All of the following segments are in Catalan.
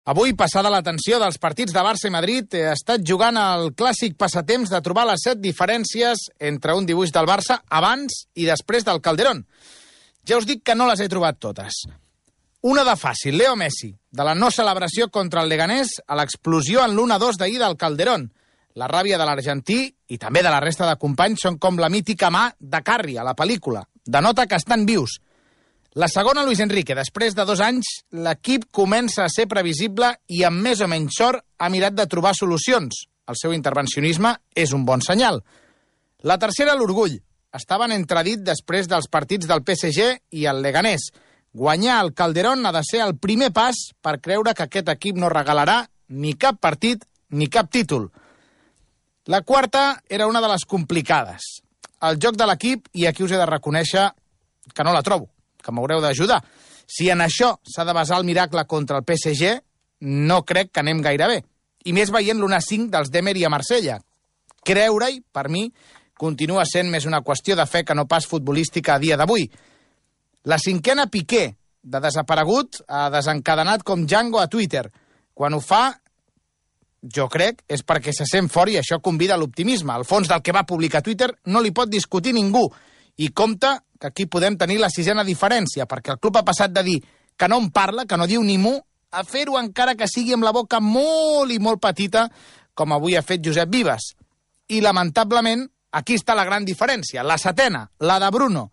Avui, passada l'atenció dels partits de Barça i Madrid, he estat jugant al clàssic passatemps de trobar les 7 diferències entre un dibuix del Barça abans i després del Calderón. Ja us dic que no les he trobat totes. Una de fàcil, Leo Messi, de la no celebració contra el Leganés a l'explosió en l'1-2 d'ahir del Calderón. La ràbia de l'argentí i també de la resta de companys són com la mítica mà de Carri a la pel·lícula. Denota que estan vius. La segona, Luis Enrique. Després de 2 anys, l'equip comença a ser previsible i amb més o menys sort ha mirat de trobar solucions. El seu intervencionisme és un bon senyal. La tercera, l'orgull. Estaven entredit després dels partits del PSG i el Leganés. Guanyar el Calderón ha de ser el primer pas per creure que aquest equip no regalarà ni cap partit ni cap títol. La quarta era una de les complicades. El joc de l'equip, i aquí us he de reconèixer que no la trobo, que m'haureu d'ajudar. Si en això s'ha de basar el miracle contra el PSG, no crec que anem gaire bé. I més veient l'1-5 dels d'Emery a Marsella. Creure-hi, per mi, continua sent més una qüestió de fe que no pas futbolística a dia d'avui. La cinquena, Piqué, de desaparegut, ha desencadenat com Django a Twitter. Quan ho fa, jo crec, és perquè se sent fort i això convida a l'optimisme. Al fons del que va publicar a Twitter no li pot discutir ningú. I compte que aquí podem tenir la 6ena diferència, perquè el club ha passat de dir que no en parla, que no diu ni mu, a fer-ho encara que sigui amb la boca molt i molt petita, com avui ha fet Josep Vives. I, lamentablement, aquí està la gran diferència, la 7ena, la de Bruno.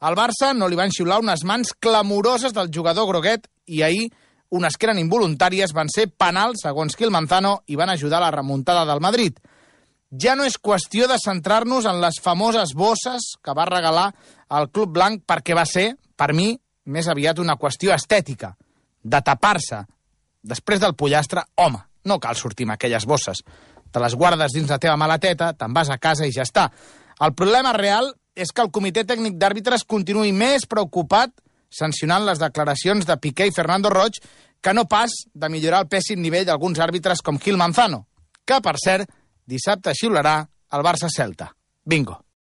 Al Barça no li van xiular unes mans clamoroses del jugador groguet i ahir unes que eren involuntàries van ser penals, segons Gil Manzano, i van ajudar a la remuntada del Madrid. Ja no és qüestió de centrar-nos en les famoses bosses que va regalar el Club Blanc perquè va ser, per mi, més aviat una qüestió estètica, de tapar-se. Després del pollastre, home, no cal sortir amb aquelles bosses. Te les guardes dins la teva maleteta, te'n vas a casa i ja està. El problema real és que el Comitè Tècnic d'Àrbitres continuï més preocupat sancionant les declaracions de Piqué i Fernando Roig que no pas de millorar el pèssim nivell d'alguns àrbitres com Gil Manzano, que, per cert, dissabte xiularà el Barça-Celta. Bingo.